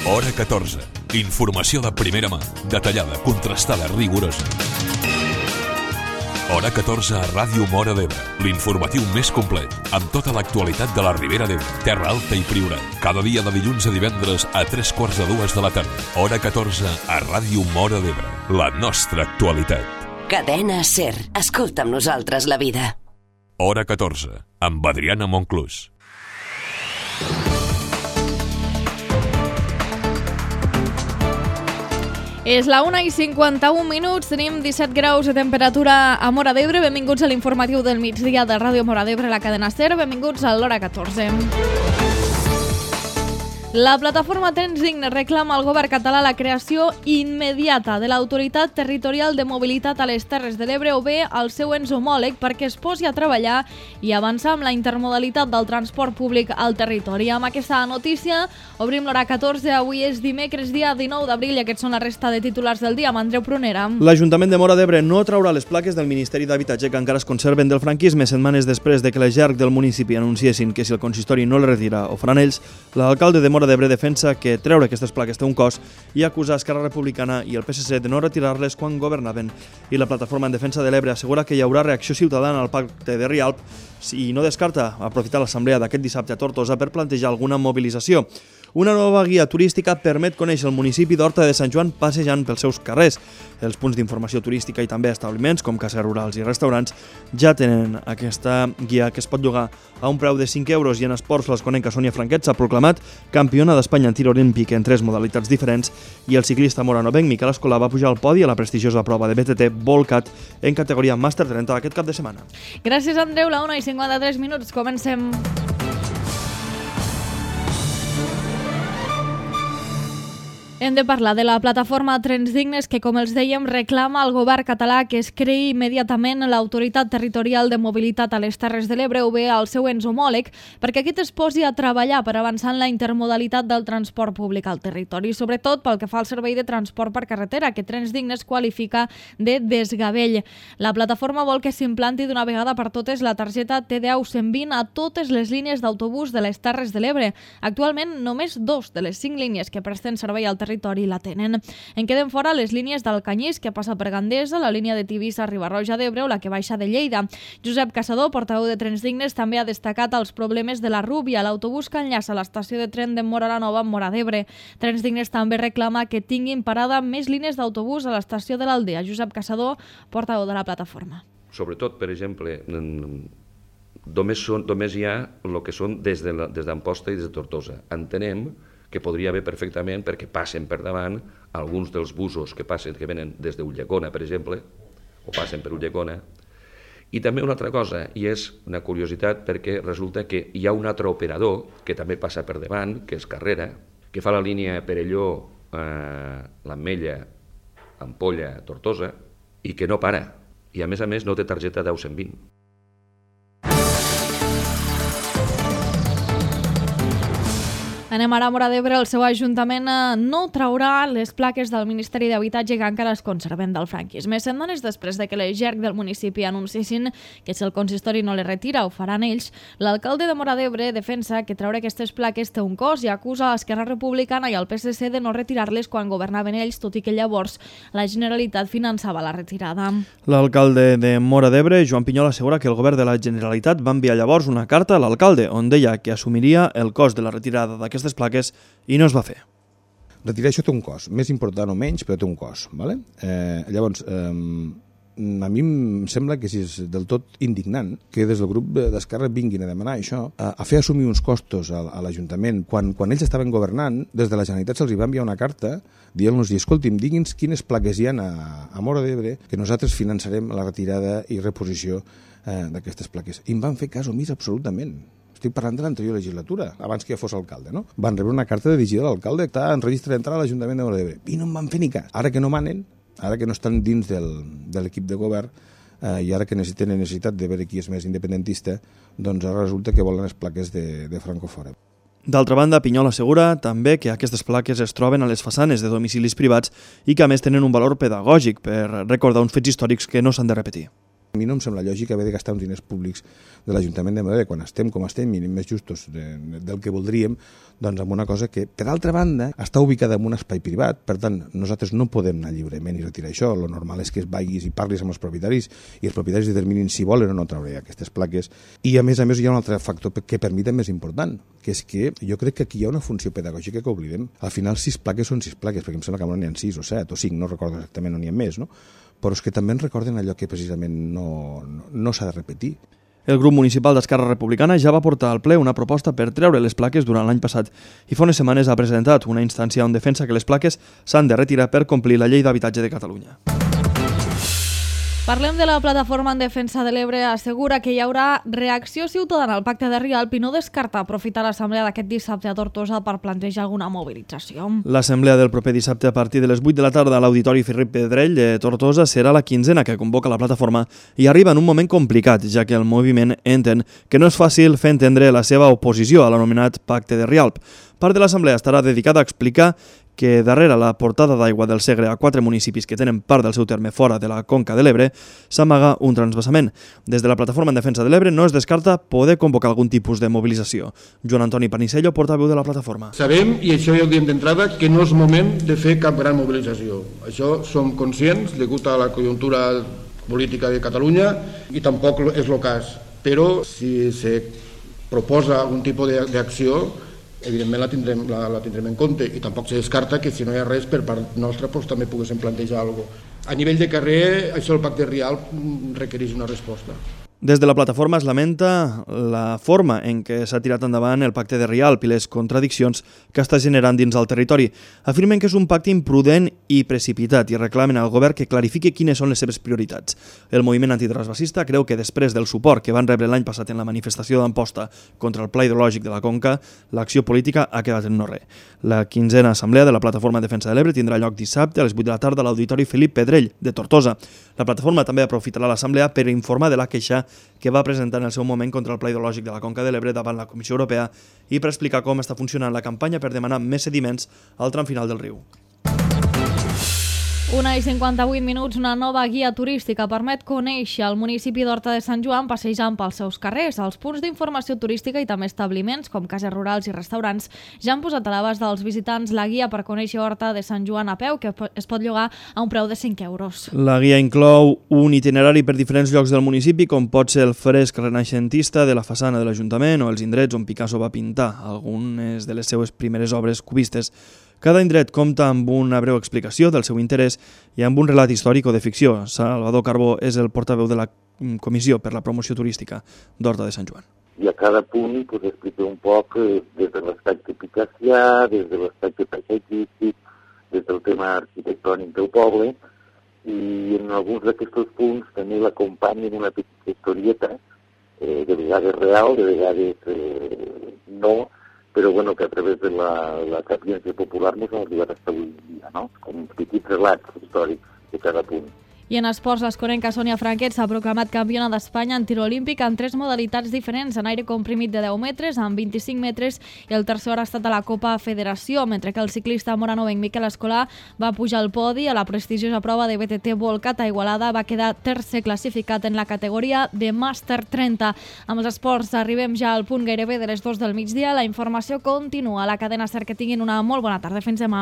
Hora 14. Informació de primera mà, detallada, contrastada, rigorosa. Hora 14 a Ràdio Móra d'Ebre, l'informatiu més complet, amb tota l'actualitat de la Ribera d'Ebre, Terra Alta i Priorat. Cada dia de dilluns a divendres a 3:45 de la tarda. Hora 14 a Ràdio Móra d'Ebre, la nostra actualitat. Cadena SER. Escolta amb nosaltres la vida. Hora 14, amb Adriana Monclús. És la 1:51, tenim 17 graus de temperatura a Móra d'Ebre. Benvinguts a l'informatiu del migdia de Ràdio Móra d'Ebre, la cadena SER. Benvinguts a l'Hora 14. La plataforma Trens Dignes reclama al govern català la creació immediata de l'Autoritat Territorial de Mobilitat a les Terres de l'Ebre o bé al seu ens homòleg perquè es posi a treballar i avançar amb la intermodalitat del transport públic al territori. Amb aquesta notícia obrim l'Hora 14. Avui és dimecres, dia 19 d'abril, i aquests són la resta de titulars del dia. Amb Andreu Prunera. L'Ajuntament de Móra d'Ebre no traurà les plaques del Ministeri d'Habitatge que encara es conserven del franquisme. Setmanes després de que les GERC del municipi anunciessin que si el consistori no les retira ho faran ells, l'alcalde de Móra d'Ebre defensa que treure aquestes plaques té un cost i acusa Esquerra Republicana i el PSC de no retirar-les quan governaven. I la plataforma en defensa de l'Ebre assegura que hi haurà reacció ciutadana al pacte de Rialp i no descarta aprofitar l'assemblea d'aquest dissabte a Tortosa per plantejar alguna mobilització. Una nova guia turística permet conèixer el municipi d'Horta de Sant Joan passejant pels seus carrers. Els punts d'informació turística i també establiments, com cases rurals i restaurants, ja tenen aquesta guia que es pot llogar a un preu de 5 euros i en esports l'esconenca Sònia Franquet s'ha proclamat campiona d'Espanya en tir olímpic en 3 modalitats diferents i el ciclista moranovenc Miquel Escolà va pujar al podi a la prestigiosa prova de BTT Volcat en categoria Màster 30 aquest cap de setmana. Gràcies, Andreu. La 1:53, comencem. Hem de parlar de la plataforma Trens Dignes que, com els dèiem, reclama al govern català que es creï immediatament l'Autoritat Territorial de Mobilitat a les Terres de l'Ebre o bé al seu ens homòleg perquè aquest es posi a treballar per avançar en la intermodalitat del transport públic al territori, sobretot pel que fa al servei de transport per carretera, que Trens Dignes qualifica de desgavell. La plataforma vol que s'implanti d'una vegada per totes la targeta TDAU 120 a totes les línies d'autobús de les Terres de l'Ebre. Actualment, només 2 de les 5 línies que presten servei al territori la tenen. En queden fora les línies del Canyís, que passa per Gandesa, la línia de Tivissa a Riba-roja d'Ebre o la que baixa de Lleida. Josep Caçador, portaveu de Trens Dignes, també ha destacat els problemes de la Rúbia, l'autobús que enllaça l'estació de tren de Móra la Nova amb Móra d'Ebre. Trens Dignes també reclama que tinguin parada més línies d'autobús a l'estació de l'Aldea. Josep Caçador, portaveu de la plataforma. Sobretot, per exemple, només hi ha el que són des d'Amposta i des de Tortosa. Entenem que podria haver perfectament perquè passen per davant alguns dels busos que venen des d'Ulldecona, per exemple, o passen per Ulldecona. I també una altra cosa, i és una curiositat perquè resulta que hi ha un altre operador que també passa per davant, que és Carrera, que fa la línia Perelló, l'Ametlla, Ampolla, Tortosa, i que no para. I a més no té targeta 10-120. Anem ara a Móra d'Ebre. El seu ajuntament no traurà les plaques del Ministeri d'Habitatge que encara es conserven del franquisme. Setmanes després de que les GERC del municipi anunciessin que si el consistori no les retira ho faran ells, l'alcalde de Móra d'Ebre defensa que treure aquestes plaques té un cost i acusa a Esquerra Republicana i al PSC de no retirar-les quan governaven ells, tot i que llavors la Generalitat finançava la retirada. L'alcalde de Móra d'Ebre, Joan Pinyol, assegura que el govern de la Generalitat va enviar llavors una carta a l'alcalde on deia que assumiria el cost de la retirada d'aquestes plaques i no es va fer. Retirar això té un cost, més important o menys, però té un cost. Vale? Llavors, a mi em sembla que és del tot indignant que des del grup d'Esquerra vinguin a demanar això, a fer assumir uns costos a l'Ajuntament. Quan ells estaven governant, des de la Generalitat se'ls va enviar una carta dient-los, escolti'm, digui'ns quines plaques hi ha a Móra d'Ebre que nosaltres finançarem la retirada i reposició d'aquestes plaques. I em van fer cas omís absolutament. Estic parlant de l'anterior legislatura, abans que ja fos alcalde, no? Van rebre una carta dirigida a l'alcalde que està en registre d'entrada a l'Ajuntament de Móra d'Ebre i no em van fer ni cas. Ara que no manen, ara que no estan dins de l'equip de govern i ara que tenen necessitat de veure qui és més independentista, doncs ara resulta que volen les plaques de Franco fora. D'altra banda, Pinyol assegura també que aquestes plaques es troben a les façanes de domicilis privats i que a més tenen un valor pedagògic per recordar uns fets històrics que no s'han de repetir. A mi no em sembla lògic haver de gastar uns diners públics de l'Ajuntament de Móra quan estem com estem i anem més justos del que voldríem, doncs amb una cosa que, per altra banda, està ubicada en un espai privat, per tant, nosaltres no podem anar lliurement i retirar això. Lo normal és que vagis i parlis amb els propietaris i els propietaris determinin si volen o no treure aquestes plaques. I a més hi ha un altre factor que per mi també és important, que és que jo crec que aquí hi ha una funció pedagògica que oblidem. Al final 6 plaques són 6 plaques, perquè em sembla que no n'hi ha 6 o 7 o 5, no recordo exactament, no n'hi ha més, no? Però és que també ens recorden allò que precisament no s'ha de repetir. El grup municipal d'Esquerra Republicana ja va portar al ple una proposta per treure les plaques durant l'any passat i fa unes setmanes ha presentat una instància on defensa que les plaques s'han de retirar per complir la Llei d'Habitatge de Catalunya. Parlem de la plataforma en defensa de l'Ebre. Assegura que hi haurà reacció ciutadana al pacte de Rialp i no descarta aprofitar l'assemblea d'aquest dissabte a Tortosa per plantejar alguna mobilització. L'assemblea del proper dissabte a partir de les 8 de la tarda a l'Auditori Felip Pedrell de Tortosa serà la 15ª que convoca la plataforma i arriba en un moment complicat, ja que el moviment entén que no és fàcil fer entendre la seva oposició a l'anomenat pacte de Rialp. Part de l'assemblea estarà dedicada a explicar que darrere la portada d'aigua del Segre a 4 municipis que tenen part del seu terme fora de la conca de l'Ebre s'amaga un transvasament. Des de la plataforma en defensa de l'Ebre no es descarta poder convocar algun tipus de mobilització. Joan Antoni Panisello, portaveu de la plataforma. Sabem, i això ja ho diem d'entrada, que no és moment de fer cap gran mobilització. Això som conscients, degut a la conjuntura política de Catalunya, i tampoc és el cas. Però si se proposa algun tipus d'acció, evidentment la tindrem en compte i tampoc se descarta que si no hi ha res per part nostra també poguéssim plantejar alguna cosa. A nivell de carrer, això del pacte Rialp requereix una resposta. Des de la plataforma es lamenta la forma en què s'ha tirat endavant el pacte de Rialp i les contradiccions que està generant dins el territori. Afirmen que és un pacte imprudent i precipitat i reclamen al govern que clarifiqui quines són les seves prioritats. El moviment antitransvasista creu que després del suport que van rebre l'any passat en la manifestació d'Amposta contra el pla hidrològic de la Conca, l'acció política ha quedat en no res. La 15ª assemblea de la plataforma en defensa de l'Ebre tindrà lloc dissabte a les 8 de la tarda a l'Auditori Felip Pedrell de Tortosa. La plataforma també aprofitarà l'assemblea per informar de la queixa que va presentar en el seu moment contra el pla hidrològic de la Conca de l'Ebre davant la Comissió Europea i per explicar com està funcionant la campanya per demanar més sediments al tram final del riu. 1:58, una nova guia turística permet conèixer el municipi d'Horta de Sant Joan passejant pels seus carrers. Els punts d'informació turística i també establiments, com cases rurals i restaurants, ja han posat a l'abast dels visitants la guia per conèixer Horta de Sant Joan a peu, que es pot llogar a un preu de 5 euros. La guia inclou un itinerari per diferents llocs del municipi, com pot ser el fresc renaixentista de la façana de l'Ajuntament o els indrets on Picasso va pintar algunes de les seues primeres obres cubistes. Cada indret compta amb una breu explicació del seu interès i amb un relat històric o de ficció. Salvador Carbó és el portaveu de la Comissió per la Promoció Turística d'Horta de Sant Joan. I a cada punt explica un poc des de l'aspecte picassià, des de l'aspecte paisatgístic, des del tema arquitectònic del poble, i en alguns d'aquests punts també l'acompanyen una petita historieta, de vegades real, de vegades no, però bueno, que a través de la sapiència popular ens han arribat fins avui dia, no? Com petits relats històrics de cada punt. I en esports, l'escorenca Sònia Franquet s'ha proclamat campiona d'Espanya en tir olímpic en 3 modalitats diferents, en aire comprimit de 10 metres, en 25 metres i el tercer ha estat a la Copa Federació, mentre que el ciclista moranovenc Miquel Escolà va pujar al podi a la prestigiosa prova de BTT Volcat a Igualada, va quedar tercer classificat en la categoria de Màster 30. Amb els esports arribem ja al punt gairebé de les 2 del migdia. La informació continua a la cadena SER. Que tinguin una molt bona tarda. Fins demà.